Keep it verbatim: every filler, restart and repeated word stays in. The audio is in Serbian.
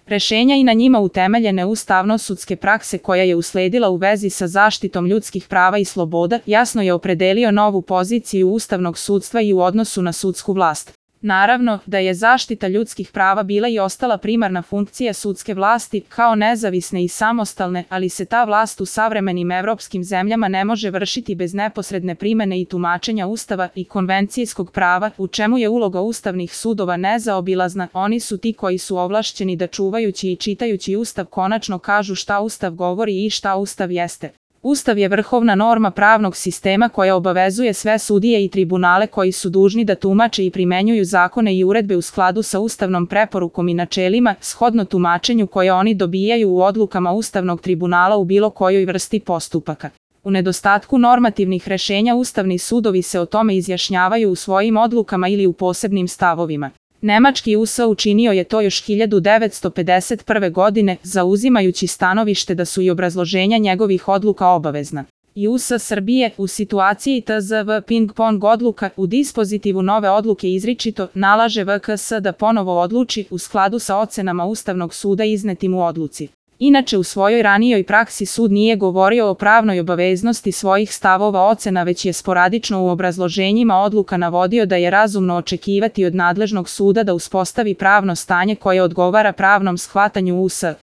Rešenja i na njima utemeljene ustavno-sudske prakse koja je usledila u vezi sa zaštitom ljudskih prava i sloboda jasno je opredelio novu poziciju ustavnog sudstva i u odnosu na sudsku vlast. Naravno da je zaštita ljudskih prava bila i ostala primarna funkcija sudske vlasti kao nezavisne i samostalne, ali se ta vlast u savremenim evropskim zemljama ne može vršiti bez neposredne primene i tumačenja Ustava i konvencijskog prava, u čemu je uloga ustavnih sudova nezaobilazna. Oni su ti koji su ovlašćeni da čuvajući i čitajući Ustav konačno kažu šta Ustav govori i šta Ustav jeste. Ustav je vrhovna norma pravnog sistema koja obavezuje sve sudije i tribunale koji su dužni da tumače i primenjuju zakone i uredbe u skladu sa ustavnom preporukom i načelima, shodno tumačenju koje oni dobijaju u odlukama Ustavnog tribunala u bilo kojoj vrsti postupaka. U nedostatku normativnih rešenja ustavni sudovi se o tome izjašnjavaju u svojim odlukama ili u posebnim stavovima. Nemački U S A učinio je to još hiljadu devetsto pedeset prve. godine, zauzimajući stanovište da su i obrazloženja njegovih odluka obavezna. I U S A Srbije, u situaciji T Z V ping-pong odluka, u dispozitivu nove odluke izričito nalaže V K S da ponovo odluči u skladu sa ocenama Ustavnog suda iznetim u odluci. Inače, u svojoj ranijoj praksi sud nije govorio o pravnoj obaveznosti svojih stavova ocena, već je sporadično u obrazloženjima odluka navodio da je razumno očekivati od nadležnog suda da uspostavi pravno stanje koje odgovara pravnom shvatanju U S A.